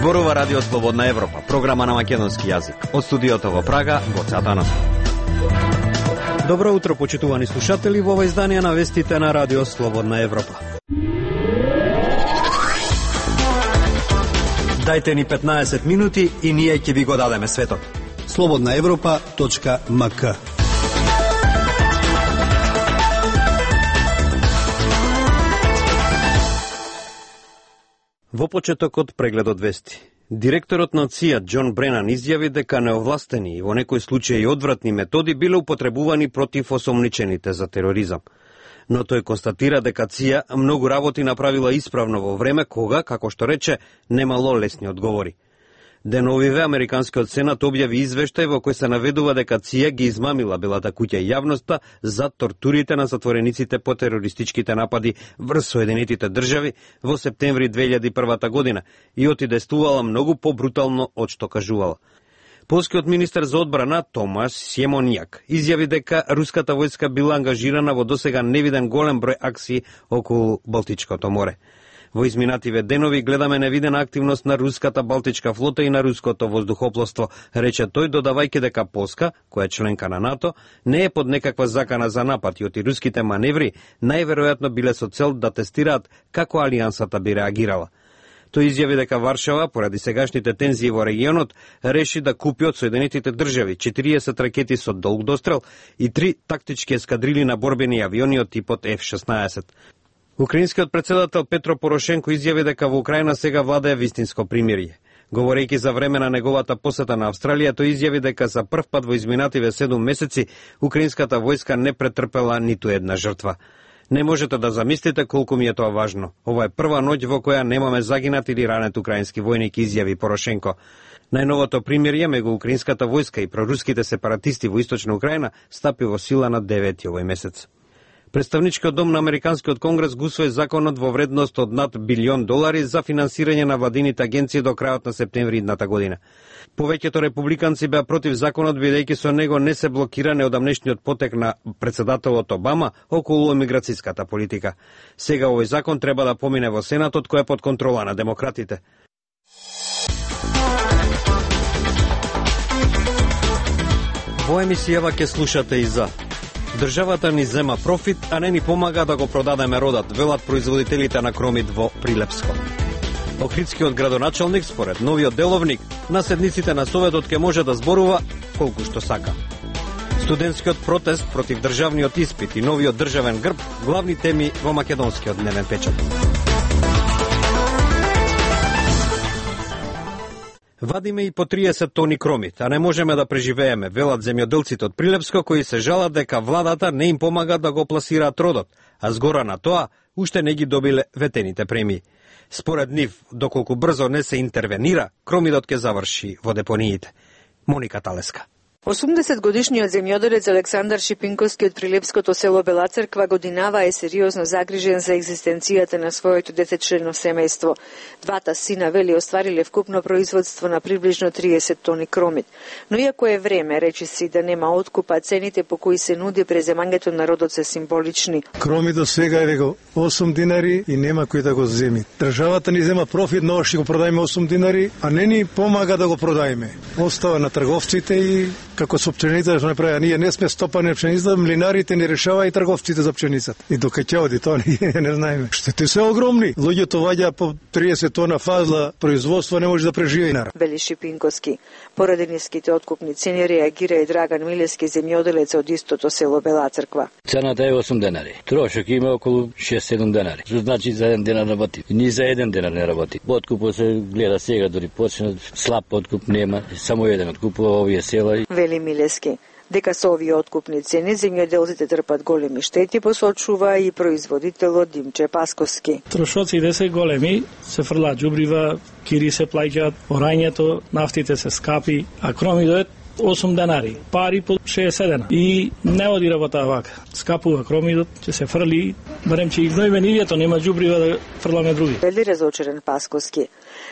Зборува Радио Слободна Европа, програма на македонски јазик. Од студиото во Прага, Гоце Атанасов. Добро утро, почитувани слушатели, во ова издание на вестите на Радио Слободна Европа. Дајте ни 15 минути и ние ќе ви го дадеме светот. slobodnaevropa.mk. Во почетокот прегледот вести. Директорот на ЦИА Џон Бренан изјави дека неовластени и во некои случаи одвратни методи биле употребувани против осомничените за тероризам. Но тој констатира дека ЦИА многу работи направила исправно во време кога, како што рече, немало лесни одговори. Деновиве Американскиот сенат објави извештај во кој се наведува дека ЦИА ги измамила Белата куќа и јавноста за тортурите на затворениците по терористичките напади врз Соединетите држави во септември 2001 година и отидествувала многу побрутално од што кажувала. Полскиот министер за одбрана Томаш Сјемонјак изјави дека руската војска била ангажирана во досега невиден голем број акции околу Балтичкото море. Во изминативе денови гледаме невидена активност на руската Балтичка флота и на руското воздухопловство, рече тој, додавајќи дека Полска, која е членка на НАТО, не е под некаква закана за напад и оти руските маневри најверојатно биле со цел да тестираат како алијансата би реагирала. Тој изјави дека Варшава, поради сегашните тензии во регионот, реши да купи од Соединетите држави 40 ракети со долг дострел и 3 тактички ескадрили на борбени авиони од типот F-16. Украинскиот председател Петро Порошенко изјави дека во Украина сега владее вистинско примирие. Говорејќи за време на неговата посета на Австралија, тој изјави дека за прв пат во изминативе 7 месеци украинската војска не претрпела ниту една жртва. Не можете да замислите колку ми е тоа важно. Ова е прва ноќ во која немаме загинат или ранет украински војник, изјави Порошенко. Најновото примирие меѓу украинската војска и проруските сепаратисти во источна Украина стапи во сила на 9 овој месец. Представничкиот дом на Американскиот конгрес го усвои законот во вредност од над $1 билион за финансирање на владините агенции до крајот на септември идната година. Повеќето републиканци беа против законот, бидејќи со него не се блокира неодамнешниот потек на председателот Обама околу емиграцијската политика. Сега овој закон треба да помине во Сенатот, кој е под контрола на демократите. Во емисијава ќе слушате и за државата ни зема профит, а не ни помага да го продадеме родат, велат производителите на кромит во Прилепско. Охридскиот градоначалник, според новиот деловник, на седниците на Советот ќе може да зборува колку што сака. Студентскиот протест против државниот испит и новиот државен грб, главни теми во македонскиот дневен печат. Вадиме и по 30 тони кромит, а не можеме да преживееме, велат земјоделците од Прилепско, кои се жалат дека владата не им помага да го пласираат родот, а згора на тоа, уште не ги добиле ветените премии. Според нив, доколку брзо не се интервенира, кромидот ќе заврши во депониите. Моника Талеска. 80-годишниот земјоделец Александар Шипинковски од прилепското село Бела Црква годинава е сериозно загрижен за екзистенцијата на своето десетчлено семејство. Двата сина, вели, оствариле вкупно производство на приближно 30 тони кромит. Но иако е време, речи си, да нема откупа, цените по кои се нуди преземањето на родот се символични. Кромидот сега е веко 8 динари и нема кој да го земи. Државата ни зема профит, но ќе го продајме 8 динари, а не ни помага да го продајме. Остава на трговците и како со пченицата што направи, ние не сме стопани пченицата, млинарите не решава и трговците за пченицата. И докај ќе оди тоа ние не знаеме. Штети се огромни. Луѓето ваѓа по 30 тона фазла производство, не може да преживее народ. Вели Шипинковски. Поради ниските откупни цени реагира и Драган Милески, земјоделец од истото село Бела Црква. Цената е 8 денари. Трошок има околу 6-7 денари. Што значи за 1 денар работи. Ни за 1 денар не работи. Откупот се гледа сега, дори почна слаб откуп нема, само еден откупува овие села. Вели Милески. Дека со овие откупни цени земјоделците трпат големи штети, посочува и производителот Димче Пасковски. Трошоците се големи, се фрлаат џубрива, кири се плаќаат, орањето, нафтите се скапи, а кромидот 8 денари, пари по 60 дена. И не оди работа вака. Скапува кромидот, ќе се фрли, барем че и гнојме нивјето, нема џубрива да фрламе други. Вели разочарен Пасковски.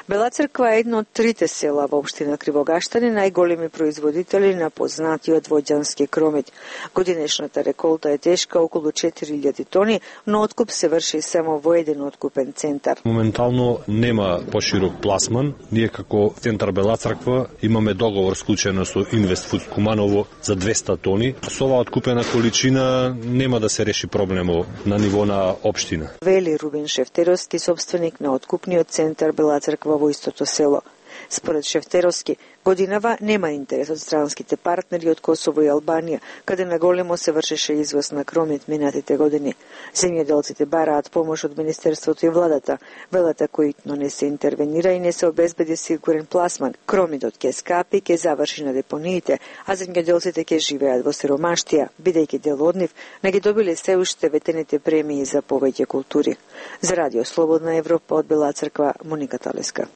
Бела Црква е едно од трите села во општина Кривогаштани, најголеми производители на познатиот воѓански кромит. Годинешната реколта е тешка околу 4000 тони, но откуп се врши само во еден откупен центар. Моментално нема поширок пласман. Ние како центар Бела Црква имаме договор склучен со Инвестфуд Куманово за 200 тони. Со оваа откупена количина нема да се реши проблемот на ниво на општина. Вели Рубин Шефтеровски, собственик на откупниот центар Бела Црква во истото село. Според Шефтеровски, годинава нема интерес од странските партнери од Косово и Албанија, каде наголемо се вршеше извоз на кромит минатите години. Земјоделците бараат помош од Министерството и владата. Велата коитно не се интервенира и не се обезбеди сигурен пласман. Кромитот ќе скапи, ќе заврши на депониите, а земјоделците ќе живеат во сиромаштија, бидејќи дел од нив не ги добиле се уште ветените премии за повеќе култури. За Радио Слободна Европа од Бела Црква, Моника Талеска.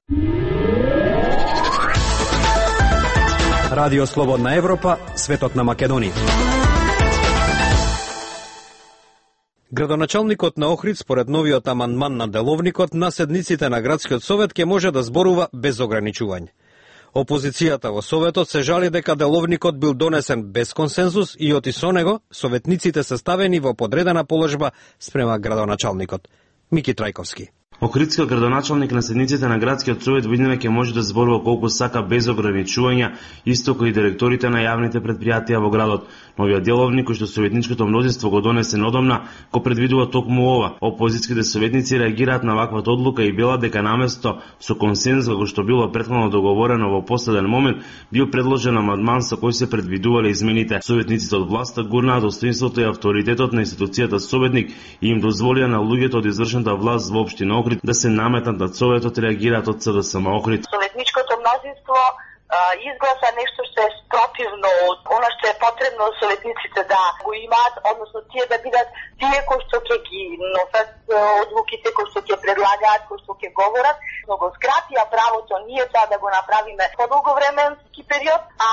Радио Слободна Европа, светот на Македонија. Градоначалникот на Охрид, според новиот амандман на деловникот, на седниците на градскиот совет ќе може да зборува без ограничување. Опозицијата во советот се жали дека деловникот бил донесен без консензус и оти со него советниците се ставени во подредена положба спрема градоначалникот. Мики Трајковски. Охридскиот градоначалник на седниците на градскиот совет во иднина ќе може да зборува колку сака без ограничувања, исто кои директорите на јавните претпријатија во градот. Новиот деловник кој што советничкото мнозинство го донесе одамна, го предвидува токму ова. Опозицијските советници реагираат на ваквата одлука и велат дека наместо со консензус како што било претходно договорено во последен момент, бил предложен амандман со кој се предвидувале измените. Советниците од власта гурнаат достоинството и авторитетот на институцијата советник и им дозволија на луѓето од извршната власт во општина Охрид да се наметнат над советот и реагираат од СДСМ Охрид. Советничкото мнозинство изгласа нешто што е спротивно од она што е потребно советниците да го имаат, односно тие да бидат тие кои што ќе ги носат одлуките, кои што ќе предлагаат, кои што ќе говорат, но го скратија правото ние тоа да го направиме подолговременски период, а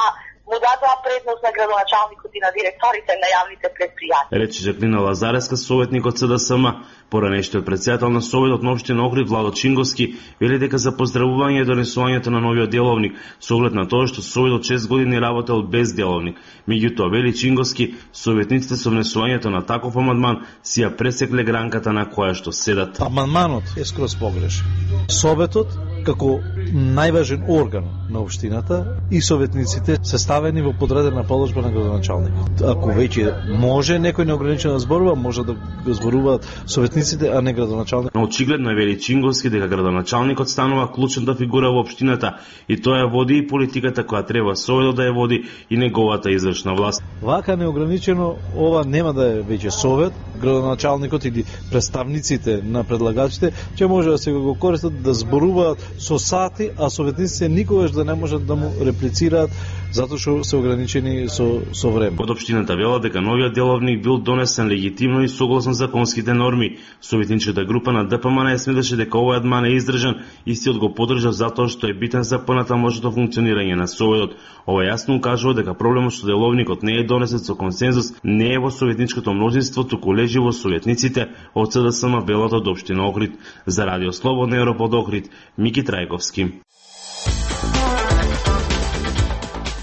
му дадоа предност на градоначалникот и на директорите на јавните претпријатија. Рече Жаклина Лазареска, советник од СДСМ. Поранешниот председател на Советот на општина Охрид Владо Чинговски вели дека за поздравување донесувањето на новиот деловник со оглед на тоа што Советот 6 години работел без деловник. Меѓутоа, вели Чинговски, советниците со внесувањето на таков амандман си ја пресекле гранката на која што седат. Амандманот е скроз погрешен. Советот како најважен орган на општината и советниците се ставени во подредена положба на градоначалникот. Ако веќе може некој неограничено да зборува, може да го зборуваат советниците, а не градоначалник. Но очигледно е вели Чинговски дека градоначалникот станува клучната фигура во општината и тоа ја води и политиката која треба Советот да ја води и неговата извршна власт. Вака неограничено ова нема да е веќе Совет, градоначалникот или представниците на предлагачите ќе може да се го користат да зборуваат со сати, а советниците никогаш да не можат да му реплицираат затоа што се ограничени со време. Од општината вела дека новиот деловник бил донесен легитимно и согласно законските норми. Советничката група на ДПМН сметаше дека овој адман е издржан, истиот го поддржа затоа што е битен за понатамошното функционирање на Советот. Ова јасно укажува дека проблемот што деловникот не е донесен со консензус не е во советничкото мнозинство, туку лежи во советниците од СДСМ велат од општина Охрид. За Радио Слободна Европа од Охрид, Мики Трајковски.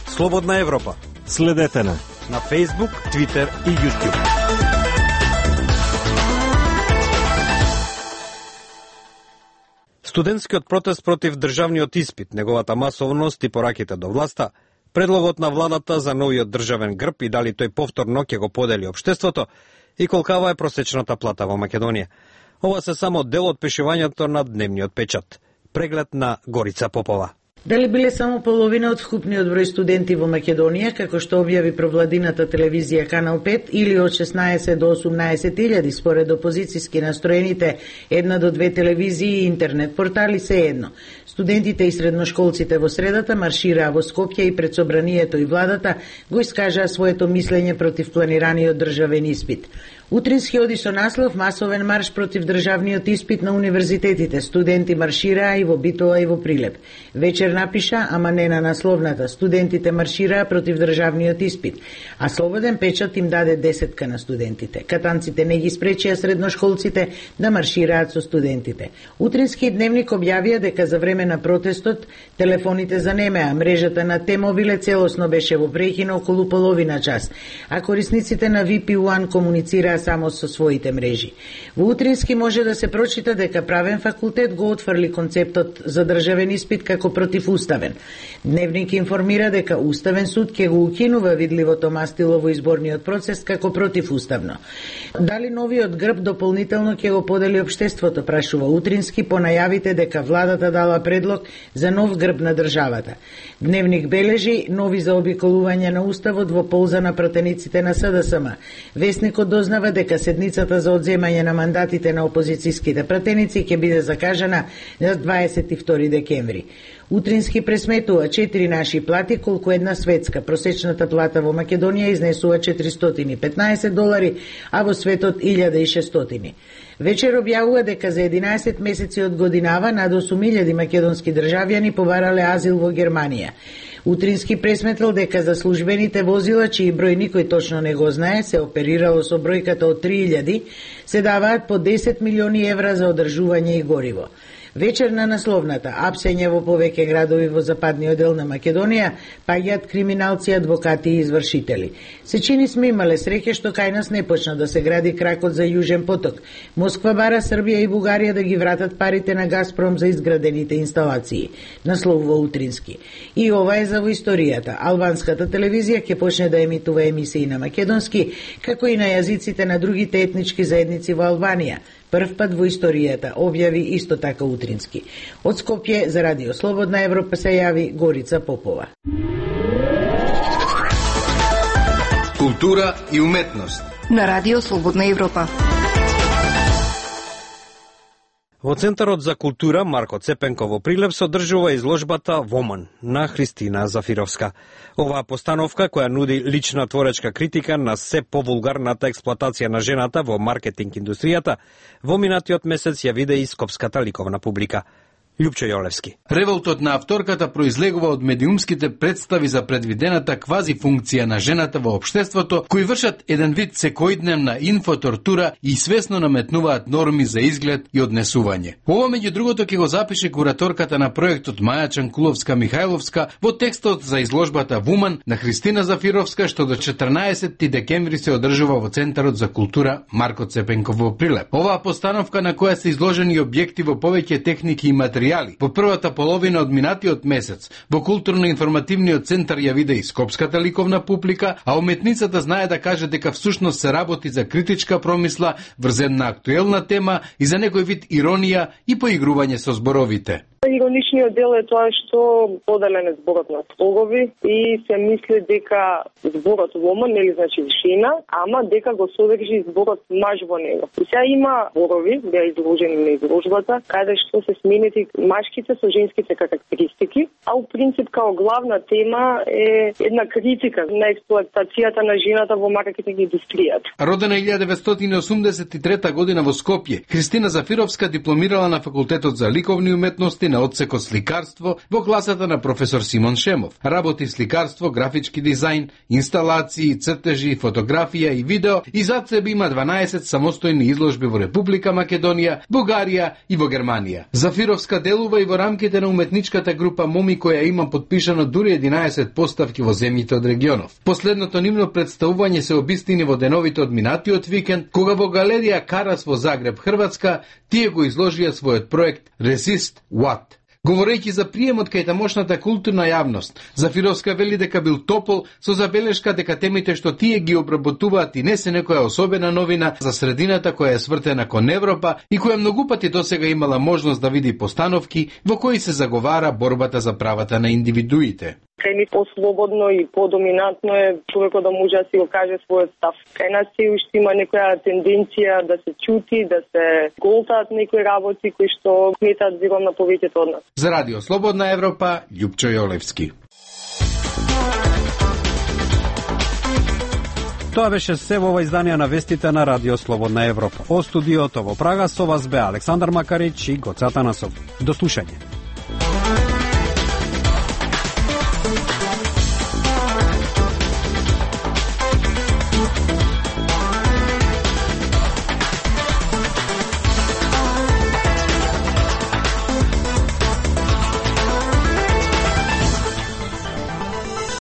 Слободна Европа. Следете на Facebook, Twitter и YouTube. Студентскиот протест против државниот испит, неговата масовност и пораките до власта, предлогот на владата за новиот државен грб и дали тој повторно ќе го подели општеството и колкава е просечната плата во Македонија. Ова се само дел од пишувањето на дневниот печат. Преглед на Горица Попова. Дали биле само половина од вкупниот број студенти во Македонија, како што објави провладината телевизија Канал 5, или од 16 до 18.000 според опозицијски настроените 1 до 2 телевизии и интернет портали, се едно. Студентите и средношколците во средата маршираа во Скопје и пред собранието и владата го искажаа своето мислење против планираниот државен испит. Утрински оди со наслов масовен марш против државниот испит на универзитетите. Студенти маршираа и во Битола и во Прилеп. Вечер напиша, ама не на насловната. Студентите маршираа против државниот испит, а Слободен печат им даде 10 на студентите. Катанците не ги спречија средношколците да маршираат со студентите. Утрински дневник објавија дека за време на протестот телефоните занемеа, мрежата на Т-мобиле целосно беше во прекина околу половина час, а корисниците на VP1 комуницираа само со своите мрежи. Во Утрински може да се прочита дека правен факултет го отфрли концептот за државен испит како противуставен. Дневник информира дека Уставен суд ќе го укинува видливото мастило во изборниот процес како противуставно. Дали новиот грб дополнително ќе го подели општеството, прашува Утрински по најавите дека владата дала предлог за нов грб на државата. Дневник бележи нови заобиколување на Уставот во полза на пратениците на СДСМ. Весникот дознава дека седницата за одземање на мандатите на опозицијските пратеници ќе биде закажана на 22 декември. Утрински пресметува 4 наши плати колку една светска. Просечната плата во Македонија изнесува $415, а во светот 1600. Вечер објавува дека за 11 месеци од годинава над 8000 македонски државјани побарале азил во Германија. Утрински пресметил дека за службените возила, чиј број никој точно не го знае, се оперирало со бројката од 3000, се даваат по 10 милиони евра за одржување и гориво. Вечер на насловната, апсење во повеќе градови во западниот дел на Македонија, паѓаат криминалци, адвокати и извршители. Се чини сме имале среќа што кај нас не почна да се гради кракот за Јужен поток. Москва бара Србија и Бугарија да ги вратат парите на Газпром за изградените инсталации. Насловува Утрински. И ова е за во историјата. Албанската телевизија ќе почне да емитува емисии на македонски, како и на јазиците на другите етнички заедници во Албанија. Прв пат во историјата, објави исто така Утрински. Од Скопје за Радио Слободна Европа се јави Горица Попова. Култура и уметност на Радио Слободна Европа. Во Центарот за култура Марко Цепенко во Прилеп се одржува изложбата Воман на Христина Зафировска. Оваа постановка, која нуди лична творечка критика на се повулгарната експлоатација на жената во маркетинг индустријата, во минатиот месец ја виде и скопската ликовна публика. Љупчо Јолевски. Револтот на авторката произлегува од медиумските представи за предвидената квази функција на жената во општеството, кои вршат еден вид секојдневна инфотортура и свесно наметнуваат норми за изглед и однесување. Ова меѓу другото ќе го запише кураторката на проектот Маја Чанкуловска-Михајловска во текстот за изложбата Вуман на Христина Зафировска, што до 14 декември се одржува во Центарот за култура Марко Цепенко во Прилеп. Оваа постановка на која се изложени објекти во повеќе техники и материјали во првата половина од минатиот месец во културно-информативниот центар ја виде и скопската ликовна публика, а уметницата знае да каже дека всушност се работи за критичка промисла врз една актуелна тема и за некој вид иронија и поигрување со зборовите. Ироничниот дел е тоа што поделен е зборот на слогови и се мисли дека зборот woman, нели значи жена, ама дека го содржи зборот маж во него. И сега има зборови, беа изложени на изложбата, каде што се сменети машките со женските карактеристики, а у принцип као главна тема е една критика на експлоатацијата на жената во маркетинг индустријата. Родена 1983 година во Скопје, Христина Зафировска дипломирала на факултетот за ликовни уметности на одсекот сликарство во класата на професор Симон Шемов. Работи сликарство, графички дизајн, инсталации, цртежи, фотографија и видео и зад себе има 12 самостојни изложби во Република Македонија, Бугарија и во Германија. Зафировска делува и во рамките на уметничката група Моми, која има подпишано дури 11 поставки во земјите од регионов. Последното нивно представување се обистини во деновите од минатиот викенд, кога во галерија Карас во Загреб, Хрватска, тие го изложија својот проект Resist What. Говорејќи за приемот кај тамошната културна јавност, Зафировска вели дека бил топол со забелешка дека темите што тие ги обработуваат и не се некоја особена новина за средината која е свртена кон Европа и која многу пати досега имала можност да види постановки во кои се заговара борбата за правата на индивидуите. Кај ни послободно и подоминантно е човекот да може да си го каже својот став. Кај нас се уште има некоја тенденција да се чути, да се голтаат некои работи кои што сметаат зиром на повеќето од нас. За Радио Слободна Европа, Љупчо Јолевски. Тоа беше се во ова издание на вестите на Радио Слободна Европа. О студиото во Прага со вас бе Александар Макарич и Гоце Атанасов. До слушање.